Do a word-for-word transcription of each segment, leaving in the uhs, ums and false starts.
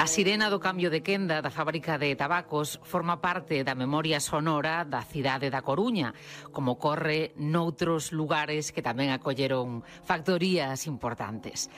A sirena do cambio de quenda da fábrica de tabacos forma parte da memoria sonora da cidade da Coruña, como ocorre noutros lugares que tamén acolleron factorías importantes.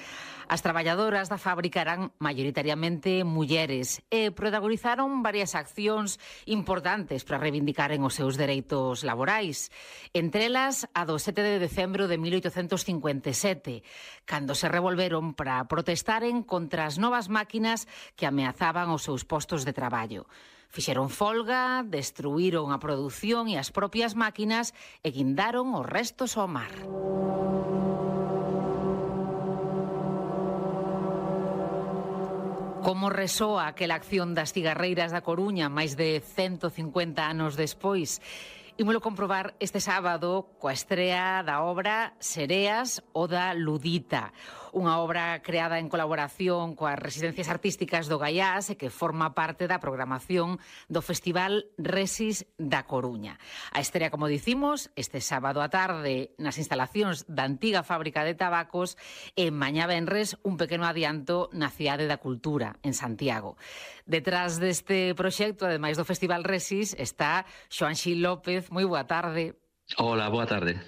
As traballadoras da fábrica eran maioritariamente mulleres e protagonizaron varias accións importantes para reivindicaren os seus dereitos laborais. Entre elas, a do sete de decembro de mil oitocentos cincuenta e sete, cando se revolveron para protestaren contra as novas máquinas que ameazaban os seus postos de traballo. Fixeron folga, destruíron a produción e as propias máquinas e guindaron os restos ao mar. Como resoa aquela acción das cigarreiras da Coruña máis de cento cincuenta anos despois? Ímolo comprobar este sábado coa estrea da obra Sereas Oda Ludita, unha obra creada en colaboración coas residencias artísticas do Gaiás e que forma parte da programación do Festival Resis da Coruña. A estrea, como dicimos, este sábado á tarde nas instalacións da antiga fábrica de tabacos e mañá venres un pequeno adianto na Cidade da Cultura, en Santiago. Detrás deste proxecto, ademais do Festival Resis, está Xoán Xil López. Moi boa tarde. Hola, boa tarde.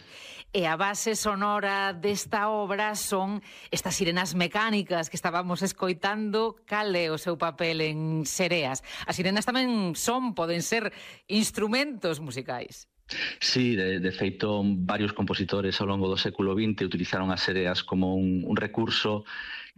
E a base sonora desta obra son estas sirenas mecánicas que estábamos escoitando. Cal é o seu papel en Sereas? As sirenas tamén son, poden ser, instrumentos musicais. Sí, de, de feito, varios compositores ao longo do século vinte utilizaron as sereas como un, un recurso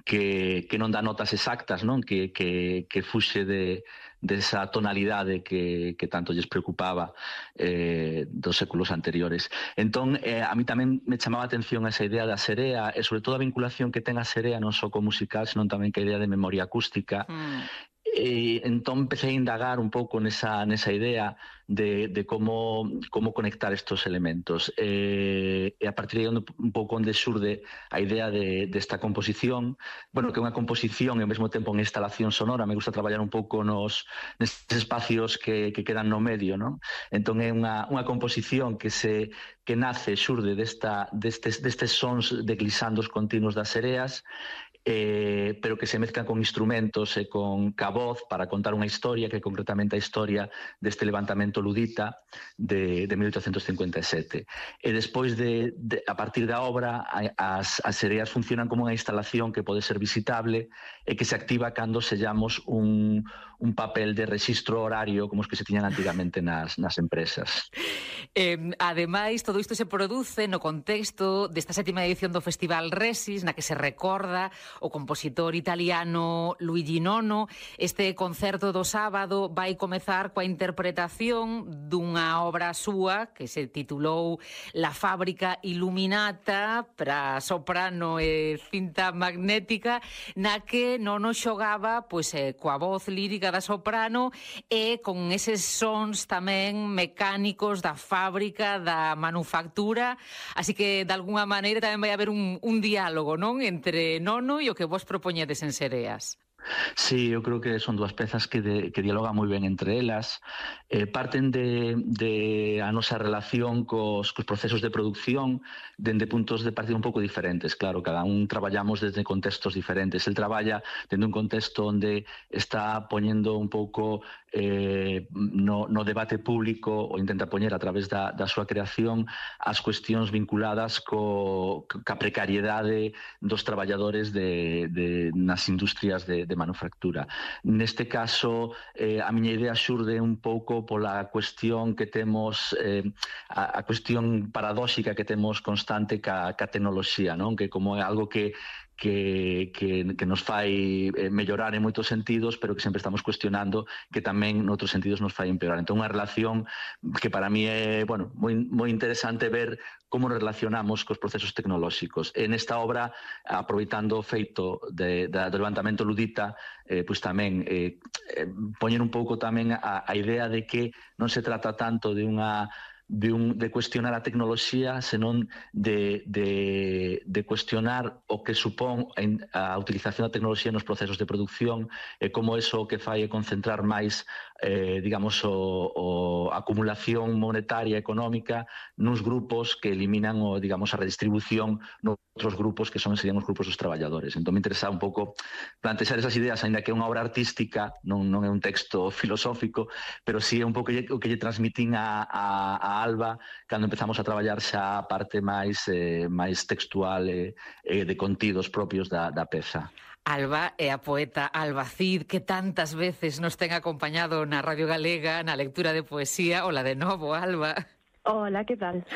que, que non dá notas exactas, non? Que, que, que fuxe de, de esa tonalidade que, que tanto lles preocupaba eh, dos séculos anteriores. Entón, eh, a mí tamén me chamaba a atención esa idea da serea e sobre todo a vinculación que ten a serea non só co musical, senón tamén que a idea de memoria acústica. Mm. E entón empecé a indagar un pouco nesa, nesa idea de, de como, como conectar estos elementos. E, e a partir de un pouco onde xurde a idea de, de esta composición, bueno, que é unha composición e ao mesmo tempo unha instalación sonora. Me gusta traballar un pouco nos nestes espacios que, que quedan no medio, non? Entón é unha, unha composición que se que nace, xurde desta, destes, destes sons de glisandos continuos das sereas, Eh, pero que se mezclan con instrumentos e con ca voz para contar unha historia, que é concretamente a historia deste levantamento ludita de, de mil oitocentos cincuenta e sete. E despois, de, de, a partir da obra, as, as sereas funcionan como unha instalación que pode ser visitable e que se activa cando sellamos un, un papel de rexistro horario como os que se tiñan antigamente nas, nas empresas. Eh, ademais, todo isto se produce no contexto desta sétima edición do Festival Resis, na que se recorda o compositor italiano Luigi Nono. Este concerto do sábado vai comezar coa interpretación dunha obra súa que se titulou La Fábrica Illuminata para soprano e cinta magnética, na que Nono xogaba pois, eh, coa voz lírica da soprano e con eses sons tamén mecánicos da fábrica, da manufactura. Así que, de alguna maneira, tamén vai haber un, un diálogo, non? Entre Nono e o que vos propoñedes en Sereas. Sí, eu creo que son dúas pezas que, de, que dialogan moi ben entre elas. Eh, parten de, de a nosa relación cos, cos procesos de producción dende puntos de partida un pouco diferentes. Claro, cada un traballamos desde contextos diferentes. El traballa dende un contexto onde está poñendo un pouco eh, no, no debate público ou intenta poñer a través da, da súa creación as cuestións vinculadas co, ca precariedade dos traballadores de, de, nas industrias de, de manufactura. Neste caso, eh, a miña idea xurde un pouco pola cuestión que temos, eh, a, a cuestión paradóxica que temos constante ca, ca tecnoloxía, non? Que como é algo que Que, que, que nos fai mellorar en moitos sentidos, pero que sempre estamos cuestionando que tamén noutros sentidos nos fai empeorar. Entón, unha relación que para mí é, bueno, moi, moi interesante ver como nos relacionamos cos procesos tecnolóxicos. En esta obra, aproveitando o feito de, de, do levantamento ludita, eh, pois tamén eh, poñer un pouco tamén a, a idea de que non se trata tanto de unha de, un, de cuestionar a tecnoloxía, senón de, de, de cuestionar o que supón a utilización da tecnoloxía nos procesos de producción e como eso o que fai é concentrar máis eh, digamos, o, o acumulación monetaria económica nuns grupos que eliminan o, digamos, a redistribución noutros grupos que son, serían os grupos dos traballadores. Entón me interesa un pouco plantexar esas ideas, ainda que é unha obra artística, non, non é un texto filosófico, pero sí é un pouco o que lle transmitín a, a, a Alba cando empezamos a traballar xa a parte máis, eh, máis textual e eh, de contidos propios da, da peza. Alba é a poeta Alba Cid, que tantas veces nos ten acompañado na Radio Galega na lectura de poesía. Ola de novo, Alba. Hola, que tal?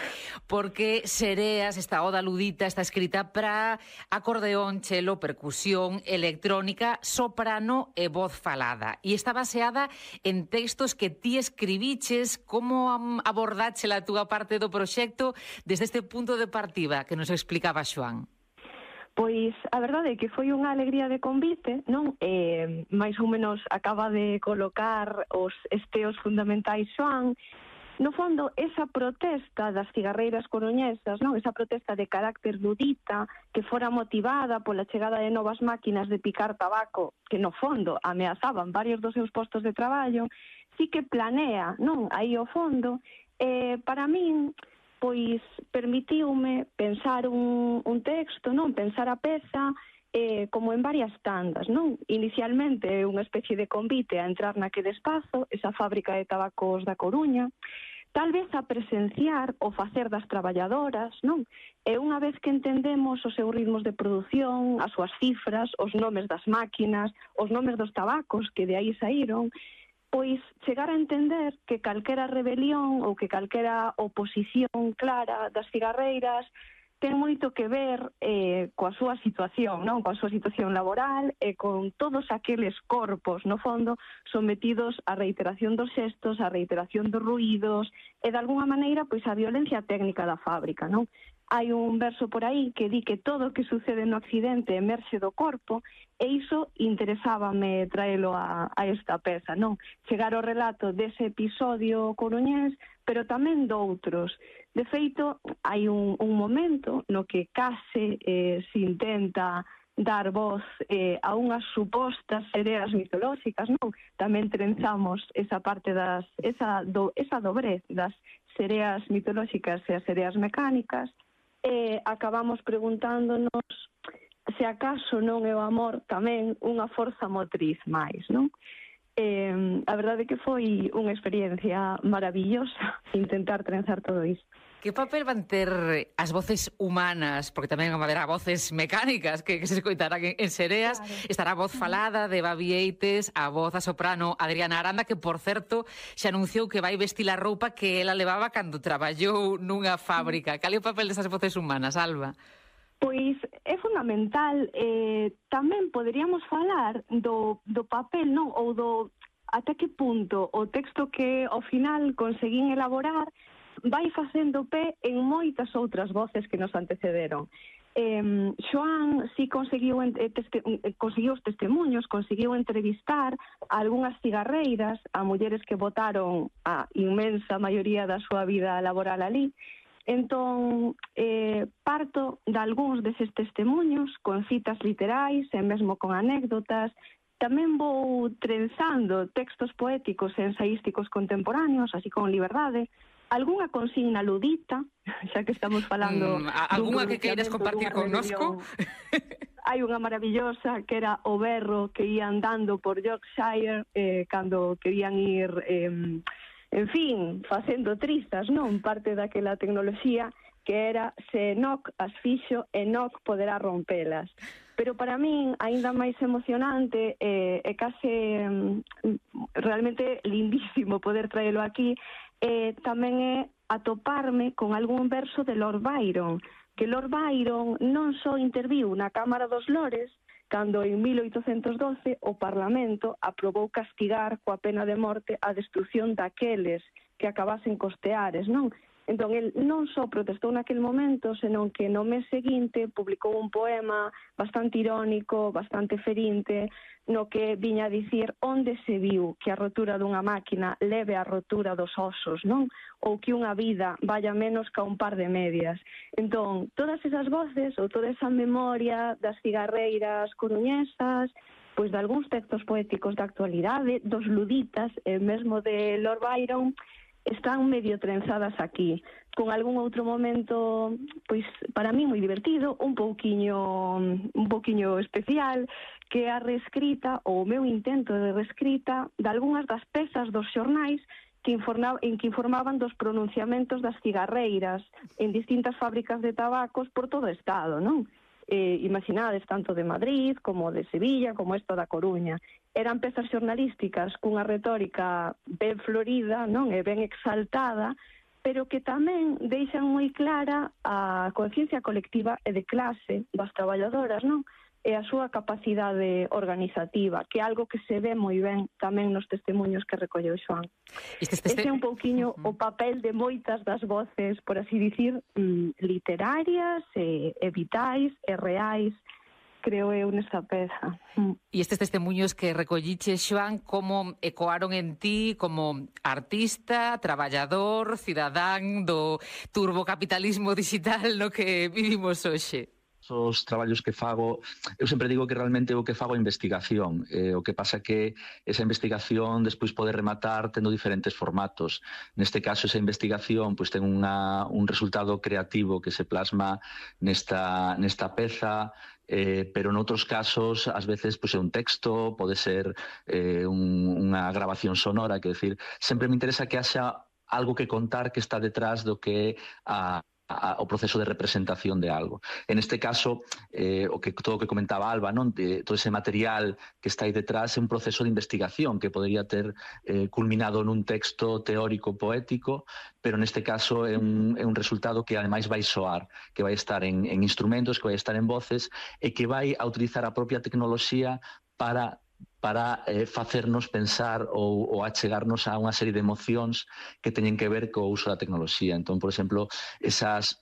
Porque Sereas, esta oda ludita, está escrita para acordeón, chelo, percusión, electrónica, soprano e voz falada. E está baseada en textos que ti escribiches. Como abordache a túa parte do proxecto desde este punto de partida que nos explicaba Xoán? Pois a verdade é que foi unha alegría de convite, non? Eh, máis ou menos acaba de colocar os esteos fundamentais Xoán. No fondo, esa protesta das cigarreiras coruñesas, non? Esa protesta de carácter ludita que fora motivada pola chegada de novas máquinas de picar tabaco que no fondo ameazaban varios dos seus postos de traballo, sí que planea, non? Aí ao fondo, eh, para min, pois permitiume pensar un, un texto, non? Pensar a peza eh, como en varias tandas, non? Inicialmente unha especie de convite a entrar naquele espazo, esa fábrica de tabacos da Coruña, tal vez a presenciar o facer das traballadoras, non? E unha vez que entendemos os seus ritmos de produción, as súas cifras, os nomes das máquinas, os nomes dos tabacos que de aí saíron, pois chegar a entender que calquera rebelión ou que calquera oposición clara das cigarreiras ten moito que ver eh, coa súa situación, non? Coa súa situación laboral e con todos aqueles corpos, no fondo, sometidos á reiteración dos xestos, á reiteración dos ruídos e, de alguna maneira, pois a violencia técnica da fábrica, non? Hai un verso por aí que di que todo o que sucede no accidente emerxe do corpo e iso interesábame traelo a, a esta peza, non? Chegar ao relato dese episodio coruñés, pero tamén doutros. De feito, hai un, un momento no que case eh, se intenta dar voz eh, a unhas supostas sereas mitolóxicas, non? Tamén trenzamos esa parte das, esa, do, esa dobrez das sereas mitolóxicas e as sereas mecánicas, e acabamos preguntándonos se acaso non é o amor tamén unha forza motriz máis, non? Eh, a verdade é que foi unha experiencia maravillosa intentar trenzar todo isto. Que papel van ter as voces humanas, porque tamén van haber voces mecánicas que, que se escoitarán en, en Sereas? Claro. Estará a voz falada de Babi Eites, a voz a soprano Adriana Aranda, que, por certo, xa anunciou que vai vestir a roupa que ela levaba cando traballou nunha fábrica. Cal é o papel desas voces humanas, Alba? Pois é fundamental. Eh, tamén poderíamos falar do, do papel, non? Ou do ata que punto o texto que ao final conseguín elaborar vai facendo pé en moitas outras voces que nos antecederon. Eh, Xoán si conseguiu, eh, teste, eh, conseguiu os testemunhos, conseguiu entrevistar a algunhas cigarreiras, a mulleres que botaron a inmensa maioría da súa vida laboral ali. Entón, eh, parto de algúns deses testemunhos con citas literais e mesmo con anécdotas. Tamén vou trenzando textos poéticos e ensaísticos contemporáneos, así con liberdade, algunha consigna ludita, xa que estamos falando... Mm, algunha que queiras compartir connosco? Hai unha maravillosa que era o berro que ia andando por Yorkshire eh, cando querían ir, eh, en fin, facendo trizas, non? Parte daquela tecnoloxía que era se Enoch as fixo, Enoch poderá rompelas. Pero para min, aínda máis emocionante e eh, case mm, realmente lindísimo poder traelo aquí, eh, tamén é atoparme con algún verso de Lord Byron, que Lord Byron non só interviu na Cámara dos Lores, cando en mil oitocentos doce o Parlamento aprobou castigar coa pena de morte a destrucción daqueles que acabasen cos teares, non? Entón, el non só protestou naquel momento, senón que no mes seguinte publicou un poema bastante irónico, bastante ferinte, no que viña a dicir onde se viu que a rotura dunha máquina leve a rotura dos osos, non? Ou que unha vida vaya menos ca un par de medias. Entón, todas esas voces, ou toda esa memoria das cigarreiras coruñesas, pois de algúns textos poéticos da actualidade, dos luditas, e mesmo de Lord Byron, están medio trenzadas aquí, con algún outro momento, pois, para mí moi divertido, un pouquiño un pouquiño especial, que é a reescrita, ou o meu intento de reescrita, de algunhas das pezas dos xornais que informaban, en que informaban dos pronunciamentos das cigarreiras en distintas fábricas de tabacos por todo o Estado, non? Eh, imaginades tanto de Madrid como de Sevilla como esta da Coruña. Eran pezas xornalísticas cunha retórica ben florida, non, e ben exaltada, pero que tamén deixan moi clara a conciencia colectiva e de clase das traballadoras, non? E a súa capacidade organizativa, que é algo que se ve moi ben tamén nos testemunhos que recolleu Xoán. Este, este, este... Ese é un pouquiño uh-huh. o papel de moitas das voces, por así dicir, literarias e, e vitais e reais, creo eu, nesta peza. E estes testemunhos que recolliche, Xoán, como ecoaron en ti como artista, traballador, cidadán do turbocapitalismo digital no que vivimos hoxe? Os traballos que fago, eu sempre digo que realmente o que fago é investigación, eh, o que pasa que esa investigación despois pode rematar tendo diferentes formatos. Neste caso, esa investigación pois ten unha, un resultado creativo que se plasma nesta, nesta peza, eh, pero noutros casos, ás veces, pois, é un texto, pode ser eh, un, unha grabación sonora, que decir, sempre me interesa que haxa algo que contar que está detrás do que é a o proceso de representación de algo. En este caso, eh, o que todo o que comentaba Alba, non? De, todo ese material que está aí detrás é un proceso de investigación que podería ter eh, culminado nun texto teórico poético, pero neste caso é un, é un resultado que ademais vai soar, que vai estar en, en instrumentos, que vai estar en voces e que vai a utilizar a propia tecnoloxía para para eh, facernos pensar ou, ou achegarnos a unha serie de emocións que teñen que ver co uso da tecnoloxía. Entón, por exemplo, esas,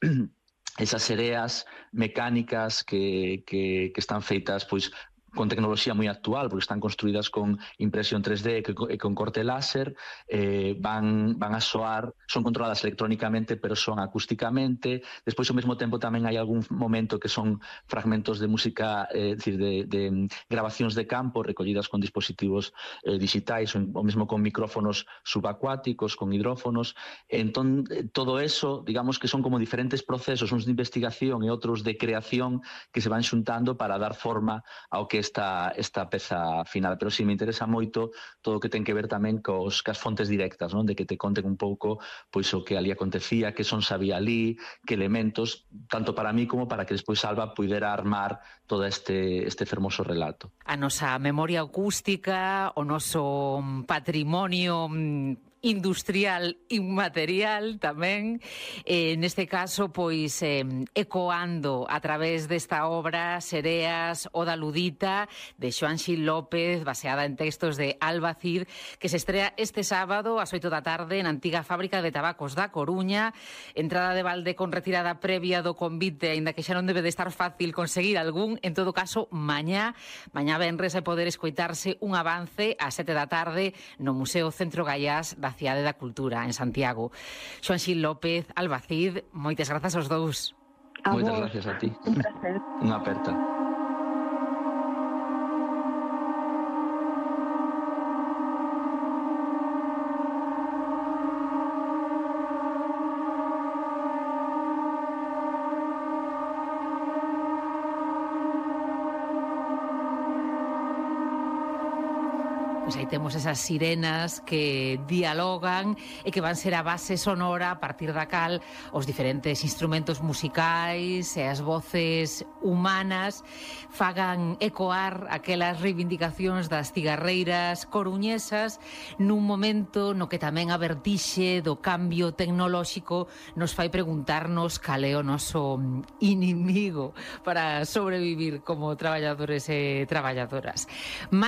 esas sereas mecánicas que, que, que están feitas pois con tecnoloxía moi actual, porque están construídas con impresión tres D e con corte láser, eh, van, van a soar, son controladas electrónicamente, pero son acústicamente. Despois, ao mesmo tempo, tamén hai algún momento que son fragmentos de música, eh, decir, de, de grabacións de campo recollidas con dispositivos eh, digitais, ou mesmo con micrófonos subacuáticos, con hidrófonos. Entón, todo eso, digamos que son como diferentes procesos, uns de investigación e outros de creación que se van xuntando para dar forma ao que esta, esta peza final, pero si me interesa moito todo o que ten que ver tamén cos, cas fontes directas, non? De que te conten un pouco pois o que ali acontecía, que son sabía ali, que elementos, tanto para mí como para que despois Alba puidera armar todo este, este fermoso relato. A nosa memoria acústica, o noso patrimonio industrial inmaterial tamén, eh, neste caso, pois, eh, ecoando a través desta obra Sereas, Oda Ludita, de Xoán Xil López, baseada en textos de Alba Cid, que se estrea este sábado ás oito da tarde na antiga fábrica de tabacos da Coruña. Entrada de balde con retirada previa do convite, aínda que xa non debe de estar fácil conseguir algún. En todo caso, mañá, mañá venres, vai poder escoitarse un avance ás sete da tarde no Museo Centro Gaiás da Cidade da Cultura, en Santiago. Xoán Xil López, Alba Cid, moitas grazas aos dous. A moitas vos. gracias a ti. Un placer. Unha aperta. Pois aí temos esas sirenas que dialogan e que van ser a base sonora a partir da cal os diferentes instrumentos musicais e as voces humanas fagan ecoar aquelas reivindicacións das cigarreiras coruñesas nun momento no que tamén a vertixe do cambio tecnolóxico nos fai preguntarnos cal é o noso inimigo para sobrevivir como traballadores e traballadoras. Mais